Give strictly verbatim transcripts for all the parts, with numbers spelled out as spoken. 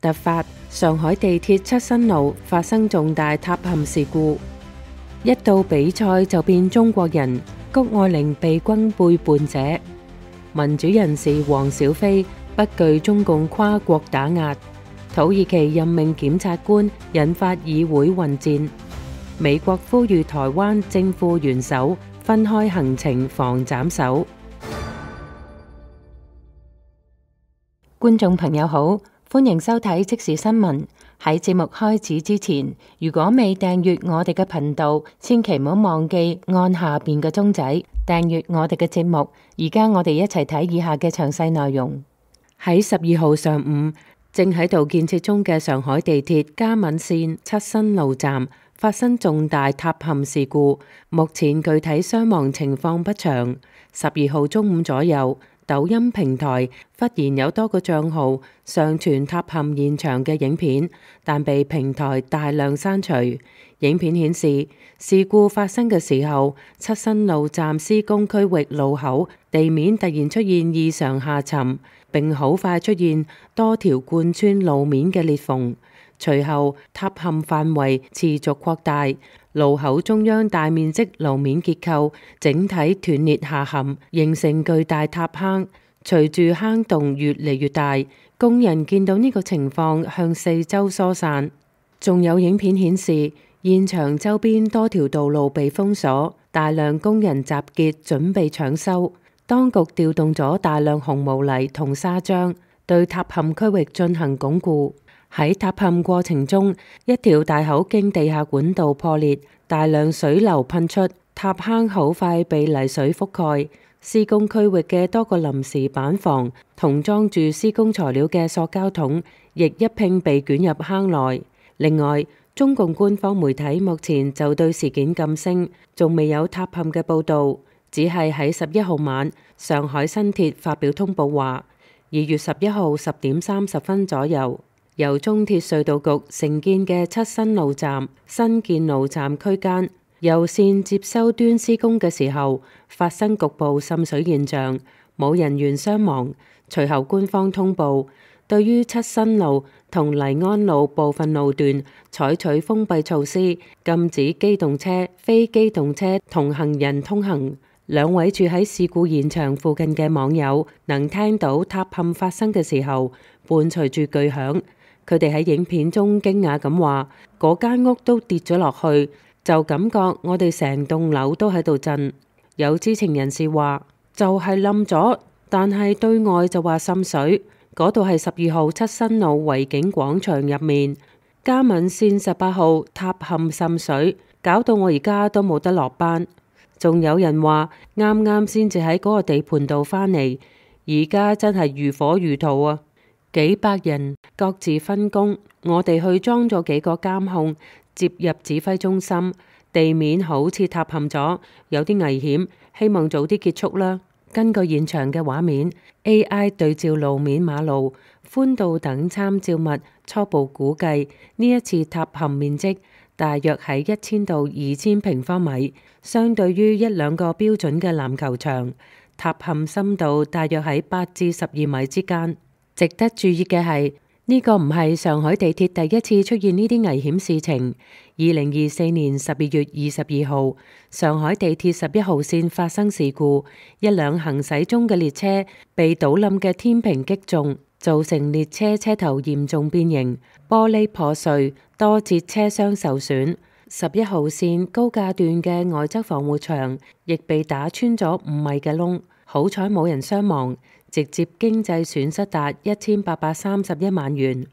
突發，上海地鐵七新路發生重大塌陷事故，一到比賽就變中國人，谷愛凌被轟背叛者，民主人士黃小飛不懼中共跨國打壓，土耳其任命檢察官引發議會混戰，美國呼籲台灣正副元首分開行程防斬首。觀眾朋友好，歡迎收睇即時新聞。喺節目開始之前，如果未訂閱我哋嘅頻道，千祈唔好忘記按下邊嘅鐘仔訂閱我哋嘅節目。而家我哋一齊睇以下嘅詳細內容。喺十二號上午，正喺度建設中嘅上海地鐵嘉閔線七新路站發生重大塌陷事故，目前具體傷亡情況不詳。十二號中午左右，抖音平台忽然有多個賬號上傳塌陷現場嘅影片，但被平台大量刪除。影片顯示，事故發生嘅時候，七新路站施工區域路口地面突然出現異常下沉，並好快出現多條貫穿路面嘅裂縫。隨後，塌陷範圍持續擴大，路口中央大面積路面結構整體斷裂下陷，形成巨大塌坑。隨住坑洞越嚟越大，工人見到呢個情況向四周疏散。仲有影片顯示，現場周邊多條道路被封鎖，大量工人集結準備搶修。當局調動咗大量紅毛泥同砂漿，對塌陷區域進行鞏固。喺塌陷過程中，一條大口徑地下管道破裂，大量水流噴出，塌坑好快被泥水覆蓋。施工區域嘅多個臨時板房同裝住施工材料嘅塑膠桶，亦一併被捲入坑內。另外，中共官方媒體目前就對事件噤聲，仲未有塌陷嘅報導，只係喺十一號晚，上海新鐵發表通報話，二月十一號十點三十分左右，由中鐵隧道局承建嘅七新路站新建路站區間由線接收端施工嘅時候發生局部滲水現象，冇人員傷亡。隨後官方通報，對於七新路同黎安路部分路段採取封閉措施，禁止機動車、非機動車同行人通行。兩位住喺事故現場附近嘅網友能聽到塌陷發生嘅時候伴隨住巨響。佢哋喺影片中驚訝咁話：嗰間屋都跌咗落去，就感覺我哋成棟樓都喺度震。有知情人士話，就係冧咗，但係對外就話滲水。嗰度係十二號七新路維景廣場入面，嘉閔線十八號塌陷滲水，搞到我而家都冇得落班。仲有人話，啱啱先至喺嗰個地盤度返嚟，而家真係如火如荼啊！幾百人各自分工，我哋去裝咗幾個監控，接入指揮中心。地面好似塌陷咗，有啲危險，希望早啲結束啦。根據現場嘅畫面 ，A I 對照路面、馬路寬度等參照物，初步估計呢一次塌陷面積大約喺一千到二千平方米，相對於一兩個標準嘅籃球場，塌陷深度大約喺八至十二米之間。值得注意嘅係，呢個唔係上海地鐵第一次出現呢啲危險事情。二零二四年十二月二十二號，上海地鐵十一號線發生事故，一輛行駛中嘅列車被倒冧嘅天平擊中，造成列車車頭嚴重變形，玻璃破碎，多節車廂受損。十一號線高架段嘅外側防護牆亦被打穿咗五米嘅窿，好彩冇人傷亡。直接經濟損失達一千八百三十一萬元。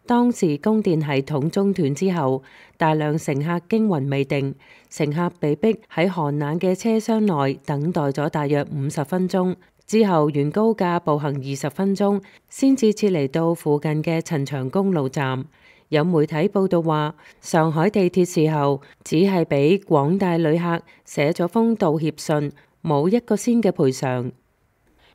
當時供電系統中斷之後，大量乘客驚魂未定，乘客被逼喺寒冷嘅車廂內等待咗大約五十分鐘，之後沿高架步行二十分鐘，先至撤離到附近嘅陳長公路站。有媒體報道話，上海地鐵事後只係俾廣大旅客寫咗封道歉信，冇一個仙嘅賠償。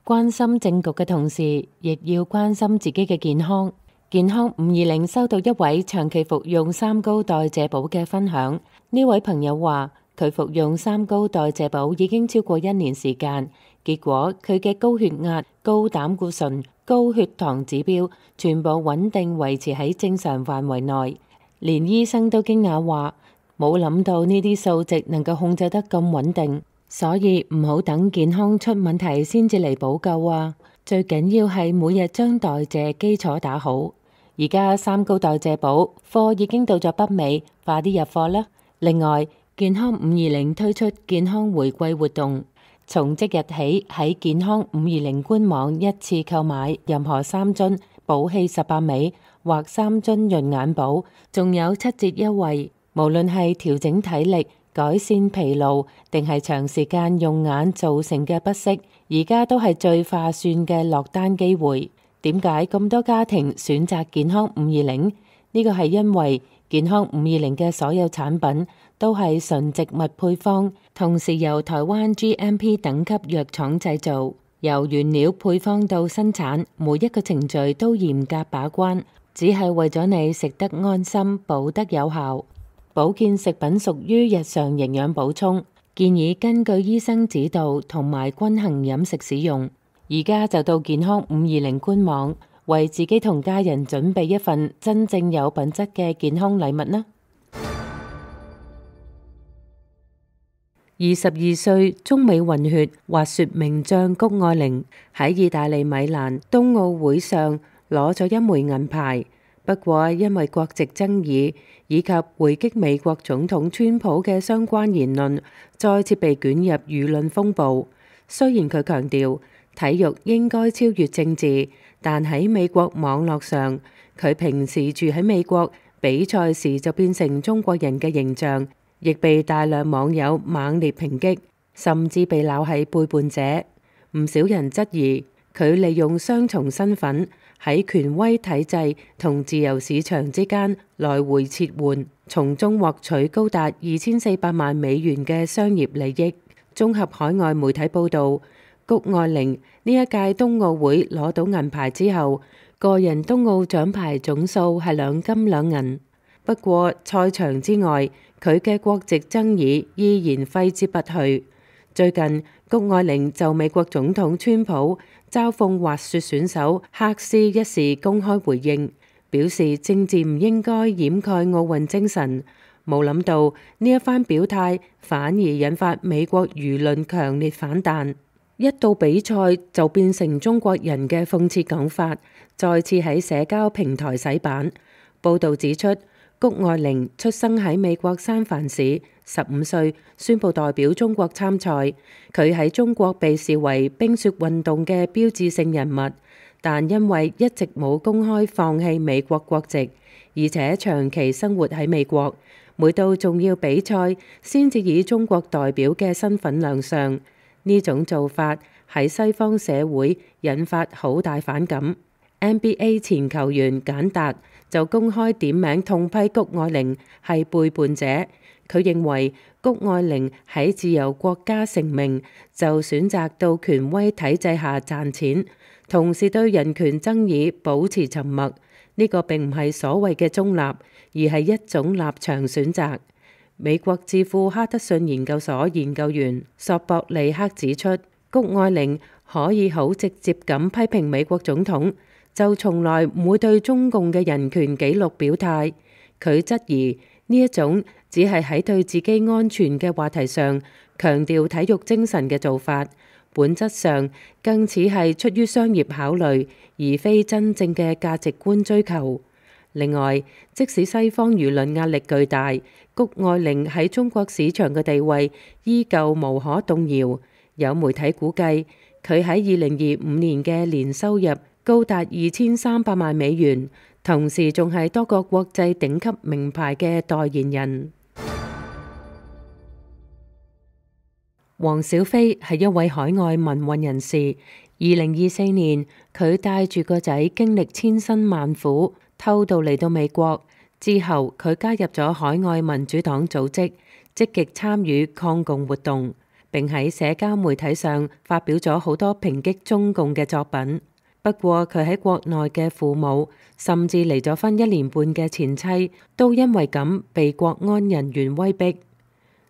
關心政局嘅同時，亦要關心自己嘅健康。健康五二零收到一位長期服用三高代謝寶嘅分享。呢位朋友話，佢服用三高代謝寶已經超過一年時間，結果佢嘅高血壓、高膽固醇、高血糖指標全部穩定維持喺正常範圍內，連醫生都驚訝話冇諗到呢啲數值能夠控制得咁穩定，所以唔好等健康出問題先至嚟補救啊！最緊要係每日將代謝基礎打好。而家三高代謝寶貨已經到咗北美，快啲入貨啦！另外，健康五二零推出健康回饋活動，從即日起喺健康五二零官網一次購買任何三樽寶氣十八味或三樽潤眼寶，仲有七折優惠。無論係調整體力、改善疲勞，定係長時間用眼造成嘅不適，而家都係最划算嘅落單機會。點解咁多家庭選擇健康五二零？呢個係因為健康五二零嘅所有產品都係純植物配方，同時由台灣 G M P 等級藥廠製造，由原料配方到生產，每一個程序都嚴格把關，只係為咗你食得安心、補得有效。保健食品屬於日常營養補充，建議根據醫生指導同埋均衡飲食使用。而家就到健康五二零官網，為自己同家人準備一份真正有品質嘅健康禮物啦！二十二歲中美混血滑雪名將谷愛凌喺意大利米蘭冬奧會上攞咗一枚銀牌，不過因為國籍爭議以及回擊美國總統川普嘅相關言論，再次被捲入輿論風暴。雖然佢強調體育應該超越政治，但喺美國網絡上，佢平時住喺美國，比賽時就變成中國人嘅形象，亦被大量網友猛烈抨擊，甚至被鬧係背叛者。唔少人質疑佢利用雙重身份喺權威體制同自由市場之間來回切換，從中獲取高達二千四百萬美元嘅商業利益。綜合海外媒體報導，谷愛凌呢一屆冬奧會攞到銀牌之後，個人冬奧獎牌總數係兩金兩銀。不過賽場之外，佢嘅國籍爭議依然揮之不去。最近，谷愛凌就美國總統川普嘲諷滑雪選手黑絲一事公開回應，表示政治唔應該掩蓋奧運精神。冇諗到呢一番表態反而引發美國輿論強烈反彈。一到比賽就變成中國人嘅諷刺講法，再次喺社交平台洗版。報導指出，谷愛凌出生喺美國三藩市，十五歲宣布代表中國參賽。佢喺中國被視為冰雪運動嘅標誌性人物，但因為一直冇公開放棄美國國籍，而且長期生活喺美國，每到重要比賽先至以中國代表嘅身份亮相。呢種做法喺西方社會引發好大反感。N B A 前球員簡達就公開點名痛批谷愛凌係背叛者。佢認為谷愛凌喺自由國家成名，就選擇到權威體制下賺錢，同時對人權爭議保持沉默。呢個並唔係所謂嘅中立，而係一種立場選擇。美國智庫哈德遜研究所研究員索博利克指出，谷愛凌可以好直接咁批評美國總統，就從來唔會對中共嘅人權紀錄表態。佢質疑呢一種只係喺對自己安全嘅話題上強調體育精神嘅做法，本質上更似係出於商業考慮，而非真正嘅價值觀追求。另外，即使西方輿論壓力巨大，谷愛凌喺中國市場嘅地位依舊無可動搖。有媒體估計，佢喺二零二五年嘅年收入高達二千三百萬美元，同時仲係多個國際頂級名牌嘅代言人。黃小飛係一位海外民運人士。二零二四年，佢帶住個仔經歷千辛萬苦，偷渡嚟到美國。之後，佢加入咗海外民主黨組織，積極參與抗共活動，並喺社交媒體上發表咗好多抨擊中共嘅作品。不過，佢喺國內嘅父母，甚至離咗婚一年半嘅前妻，都因為咁被國安人員威逼。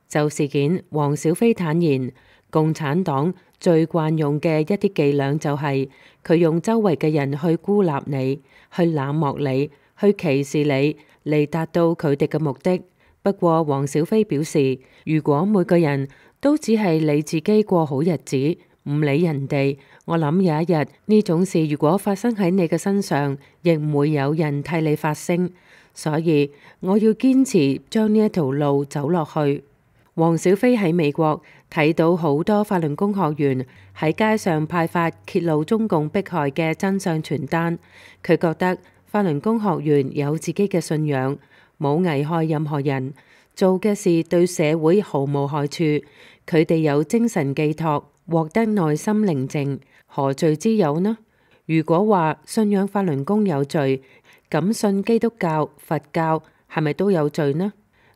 就事件，黃小飛坦言，共產黨最慣用嘅一啲伎倆就係佢用周圍嘅人去孤立你，去冷漠你，去歧視你，嚟達到佢哋嘅目的。不過黃小飛表示，如果每個人都只係你自己過好日子，唔理人哋，我諗有一日呢種事如果發生喺你嘅身上，亦唔會有人替你發聲。所以我要堅持將呢一條路走落去。黃小飛喺美國睇到好多法輪功學員喺街上派發揭露中共迫害嘅真相傳單，佢覺得法輪功學員有自己嘅信仰，冇危害任何人，做嘅事對社會毫無害處，佢哋有精神寄託，獲得內心寧靜，何罪之有呢？如果話信仰法輪功有罪，咁信基督教、佛教係咪都有罪呢？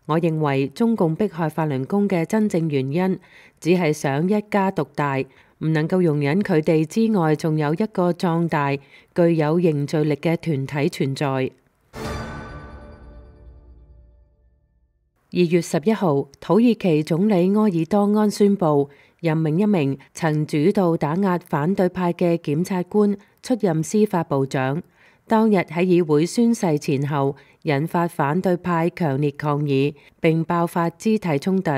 我認為中共迫害法輪功嘅真正原因，只係想一家獨大，唔能夠容忍佢哋之外，仲有一個壯大、具有凝聚力嘅團體存在。二月十一號，土耳其總理埃爾多安宣布任命一名曾主導打壓反對派嘅檢察官出任司法部長。當日喺議會宣誓前後，引發反對派強烈抗議，並爆發肢體衝突。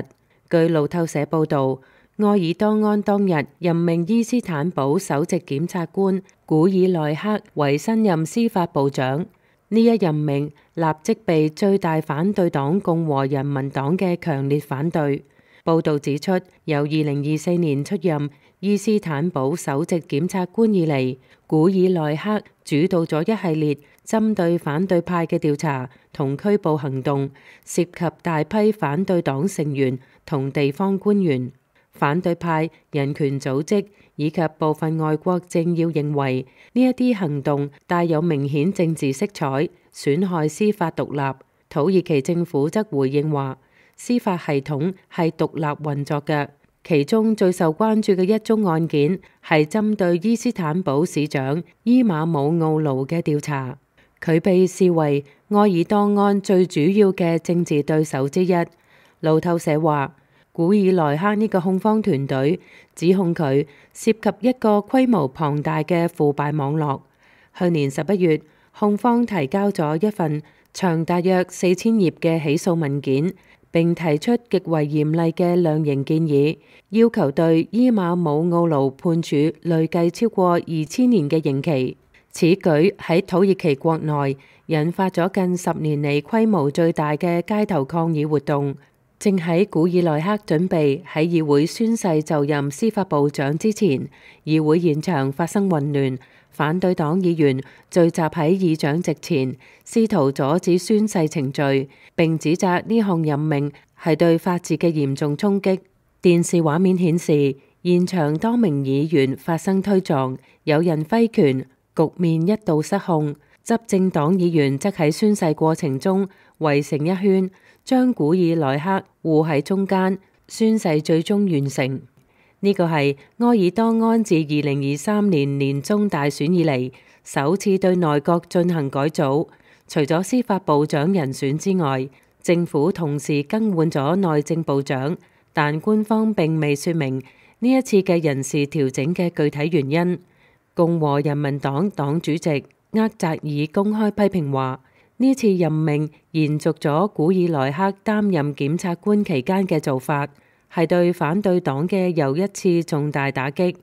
據路透社報導，埃爾多安當日任命伊斯坦堡首席檢察官古爾內克為新任司法部長。呢一任命立即被最大反對黨共和人民黨嘅強烈反對。報導指出，由二零二四年出任伊斯坦堡首席檢察官以嚟，古爾內克主導咗一系列針對反對派嘅調查同拘捕行動，涉及大批反對黨成員同地方官員。反對派、人權組織以及部分外國政要認為呢一啲行動帶有明顯政治色彩，損害司法獨立。土耳其政府則回應話，司法系統係獨立運作嘅。其中最受關注嘅一宗案件係針對伊斯坦堡市長伊馬姆奧盧嘅調查，佢被視為埃爾多安最主要嘅政治對手之一。路透社話，古爾內克呢個控方團隊指控佢涉及一個規模龐大嘅腐敗網絡。去年十一月，控方提交咗一份長大約四千頁嘅起訴文件，並提出極為嚴厲嘅量刑建議，要求對伊馬姆奧盧判處累計超過二千年嘅刑期。此舉喺土耳其國內引發咗近十年嚟規模最大嘅街頭抗議活動。正喺古爾內克準備喺議會宣誓就任司法部長之前，議會現場發生混亂，反對黨議員聚集喺議長席前，試圖阻止宣誓程序，並指責呢項任命係對法治嘅嚴重衝擊。電視畫面顯示，現場多名議員發生推撞，有人揮拳，局面一度失控。執政黨議員則喺宣誓過程中圍成一圈，將古爾內克護喺中間，宣誓最終完成。呢個係埃爾多安自二零二三年年中大選以嚟首次對內閣進行改組，除咗司法部長人選之外，政府同時更換咗內政部長，但官方並未說明呢一次嘅人事調整嘅具體原因。共和人民黨黨主席厄扎爾公開批評話，呢次任命延續咗古爾內克擔任檢察官期間嘅做法，係對反對黨嘅又一次重大打擊。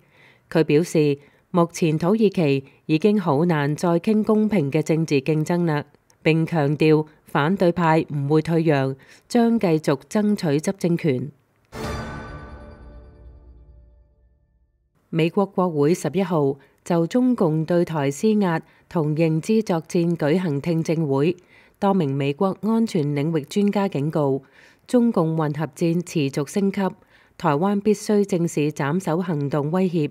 佢表示，目前土耳其已經好難再傾公平嘅政治競爭啦，並強調反對派唔會退讓，將繼續爭取執政權。美國國會十一號就中共對台施壓同認知作戰舉行聽證會，多名美國安全領域專家警告，中共混合戰持續升級，台灣必須正視斬首行動威脅。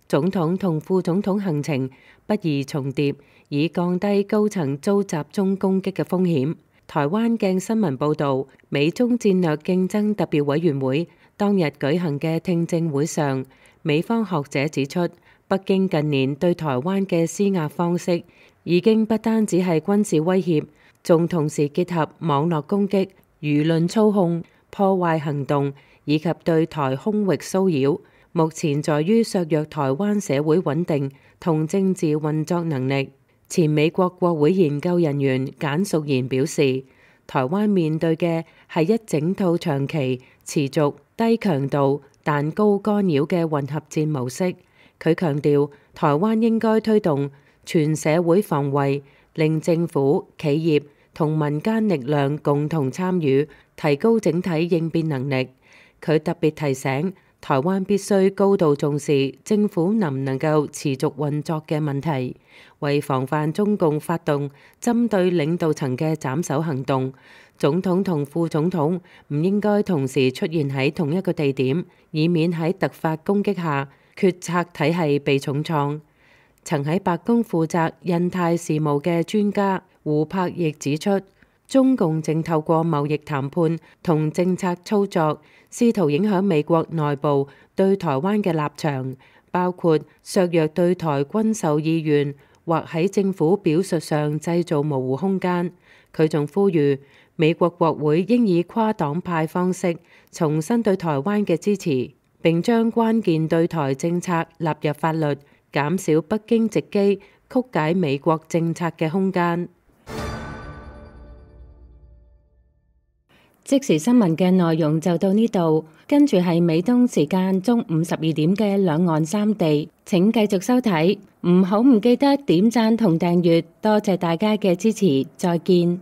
總統同副總統行程不宜重疊，以降低高層遭集中攻擊嘅風險。台灣鏡新聞報導，美中戰略競爭特別委員會當日舉行嘅聽證會上，美方學者指出，北京近年對台灣嘅施壓方式已經不單止係軍事威脅，仲同時結合網絡攻擊、輿論操控、破壞行動以及對台空域騷擾，目前在於削弱台灣社會穩定同政治運作能力。前美國國會研究人員簡淑賢表示，台灣面對嘅係一整套長期、持續、低強度但高干擾嘅混合戰模式。佢強調，台灣應該推動全社會防衛，令政府、企業同民間力量共同參與，提高整體應變能力。佢特別提醒，台灣必須高度重視政府能唔能夠持續運作嘅問題，為防範中共發動針對領導層嘅斬首行動，總統同副總統唔應該同時出現喺同一個地點，以免喺突發攻擊下決策體系被重創。曾喺白宮負責印太事務嘅專家胡柏亦指出，中共正透過貿易談判同政策操作，試圖影響美國內部對台灣嘅立場，包括削弱對台軍售意願，或喺政府表述上製造模糊空間。佢仲呼籲美國國會應以跨黨派方式重申對台灣嘅支持，並將關鍵對台政策納入法律，減少北京藉機曲解美國政策嘅空間。即時新聞嘅內容就到呢度，跟住係美東時間中午十二點嘅兩岸三地，請繼續收睇，唔好唔記得點讚同訂閱，多謝大家嘅支持，再見。